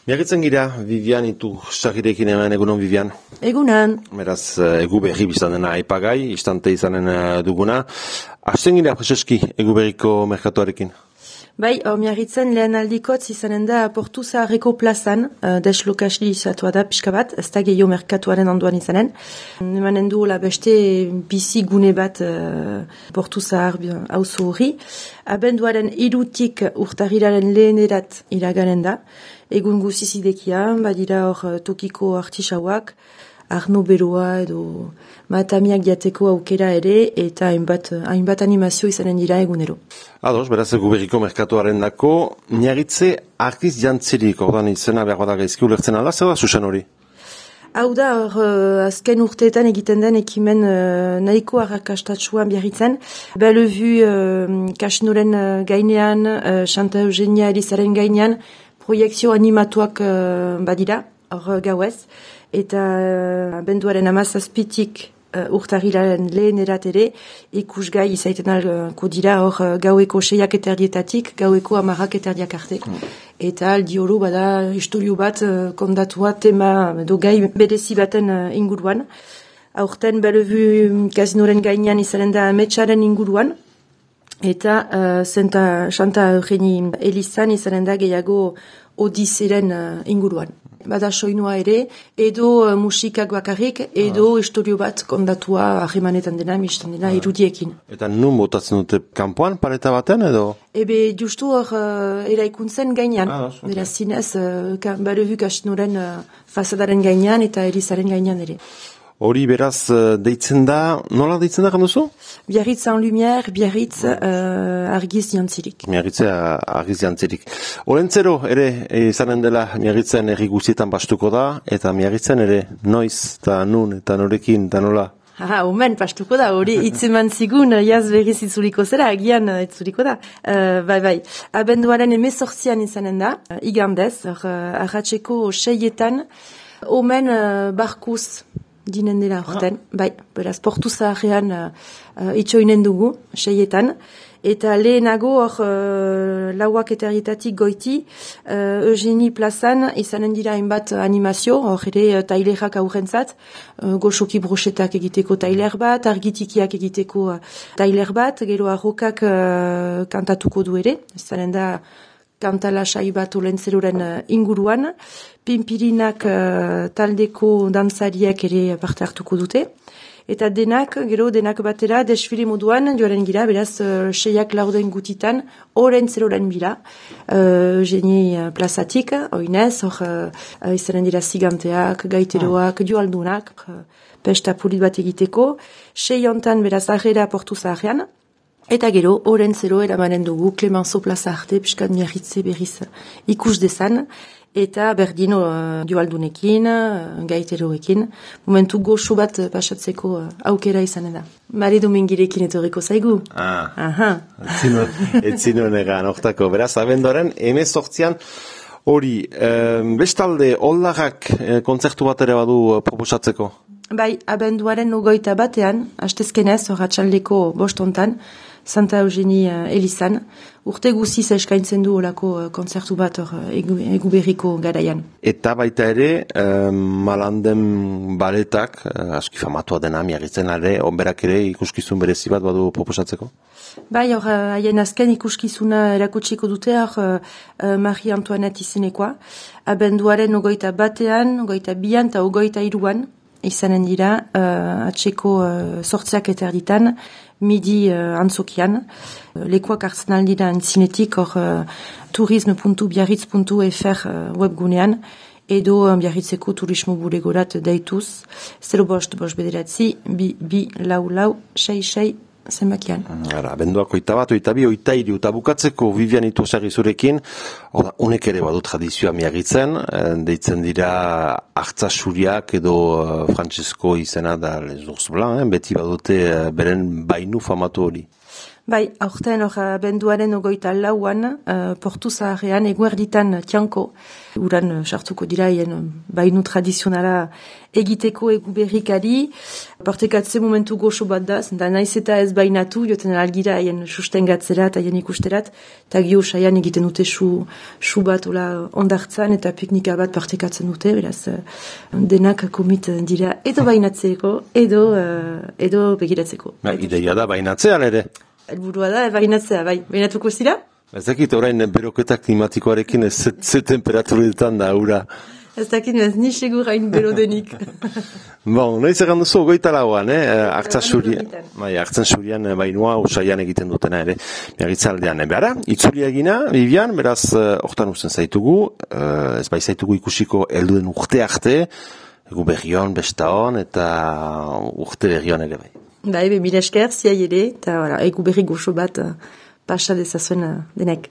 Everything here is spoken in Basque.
Miagitzen gira, Vivian Itursagirekin hemen egunon, Vivian. Egunan. Beraz, egu berri biztan dena aipagai, istante izanen duguna. Hasten gira, preseski, egu berriko merkatuarekin. Bai, miagitzen lehen aldikotz izanen da Portu Zaharreko plazan, deslokasli izatua da pixka bat, ez da gehiago merkatuaren onduan izanen. Emanen du beste bizi gune bat Portu Zahar auzo hori. Abenduaren 3 urtarrilaren lehenerat iraganen da. Egun guzizidekia, badira hor tokiko artisauak, Arno Beroa edo matamiak jateko aukera ere, eta hainbat animazio izanen dira egunero. Ados, beraz egu berriko merkatuaren dako, Miagitze argiz jantzirik, ordan izena behar bada gaizki ulertzen ala, zer da Susan hori? Hau da, azken urteetan egiten den ekimen nahiko arrakastatsuan Biarritzen. Bellevue kasinoren gainean, Santa Eugenia Elizaren gainean, proiektzio animatuak badira, hor gauez, eta abenduaren 17 urtarrilaren lehenerat ere ikusgai izaiten alko dira hor gaueko 6:30 gaueko 10:00 arte. Eta aldi oro bada istorio bat kondatua tema edo gai berezi baten inguruan. Aurten Bellevue kasinoren gainean izanen da ametsaren inguruan. Eta Santa Eugenia Elizan izanen da gehiago Odiseren inguruan. Bada soinua ere, edo musikak bakarrik, edo istorio bat kondatua ahemanetan dena, mistan dena, irudiekin. Eta nun botatzen dute kanpoan, pareta baten edo? Ebe justu hor eraikuntzen gainean. Beraz zinez, Bellevue kasinoren fasadaren gainean eta Elizaren gainean ere. Hori beraz deitzen da, nola deitzen da ganduzu? Biarritz en lumière, Biarritz argiz jantzirik. Miagitze argiz jantzirik. Olentzero ere izanen dela Miagitzen herri guztietan bastuko da, eta Miagitzen ere noiz, eta nun, eta norekin, eta nola? Omen, pastuko da, hori itzeman zigun, jaz berriz itzuliko zera, agian itzuliko da. Bai. Abenduaren 18 izanen da, igandez, arratseko 6etan, omen barkuz, dinen dela horten, bai, beraz, Portu Zaharrean itxoinen dugu, 6etan, eta lehenago hor 4:00 goiti, Eugenie plazan izanen dira hainbat animazio, hor ere tailerak aurrentzat, goxoki broxetak egiteko tailer bat, argitikiak egiteko tailer bat, gero arrokak kantatuko du ere, izanen da kantalasai bat Olentzeroren inguruan, Pinpirinak taldeko dantzariak ere parte hartuko dute, eta denak batera desfile moduan joaren gira, beraz 6:00 gutitan, Olentzeroren bila, Eugenie plazatik, oinez, hor izanen dira ziganteak, gaiteroak, joaldunak, pesta polit bat egiteko, 6 hontan beraz arrera Portu Zaharrean, eta gero, Olentzero eramanen dugu, Clemenceau plaza arte, piskat Miagitze berriz ikus dezan, eta berdin joaldunekin, gaiteroekin, momentu goxo bat pasatzeko aukera izanen da. Mari Domingirekin etorriko zaigu. Etzinoen egan, oktako. Beraz, abenduaren 18 hori, bestalde, Oldarrak kontzertu bat ere badu proposatzeko? Bai, abenduaren 21, hastezkenez, arratsaldeko 5 Santa Eugenia Elizan, urte guziz eskaintzen du olako kontzertu bat egu berriko garaian. Eta baita ere, Malanden baletak, aski famatua dena, Miagitzen ere, onberak ere ikuskizun berezi bat badu proposatzeko? Bai, hor, haien azken ikuskizuna erakutsiko dute, hor, Marie Antoinette izenekoa, abenduaren 21, 22 eta 23 izanen dira, atseko 8:30 midi antzokian. Lekuak hartzen aldira entzinetik, hor turisme.biarritz.fr webgunean, edo Biarritzeko turismo bulegorat deituz, 05 bederatzi 2 zenbakian. Abenduak 21, 22, eta bukatzeko Vivian Itursagirekin zurekin, honek ere badu tradizioa Miagitzen, deitzen dira artzasuriak edo Francesco izena da Les Ours Blancs, beti badute beren bainu famatu hori. Bai, aurten hor abenduaren 24an, Portu Zaharrean eguerditan tianko. Uran sartuko dira hien bainu tradizionala egiteko egu berrikari. Partekatze momentu goxo bat da, zenta naiz eta ez bainatu, joten algira hien sustengatzerat, hien ikusterat, eta gio saian egiten dute su bat ondartzan eta piknika bat partekatzen dute, beraz denak komit dira edo bainatzeko, edo begiratzeko. Ideia da bainatzean ere. Elburua da, bainatzea, bai. Bainatuko zira? Ez dakit, orain beroketa klimatikoarekin ze temperaturetan da, ura. Ez dakit, ez ni segur hain berodenik. Bon, noiz egan duzu, 24an, Artzen Surian bainua usaian egiten dutena ere, miagitzaldean. Behara, itzulia egina, Vivian, beraz, hortan usten zaitugu, ez bai zaitugu ikusiko helduen urte arte, egu berrion, bestaon, eta urte berrion ere bai. Bai, mila esker, ziai ere, eta egu berri goxo bat pasa dezazuen denek.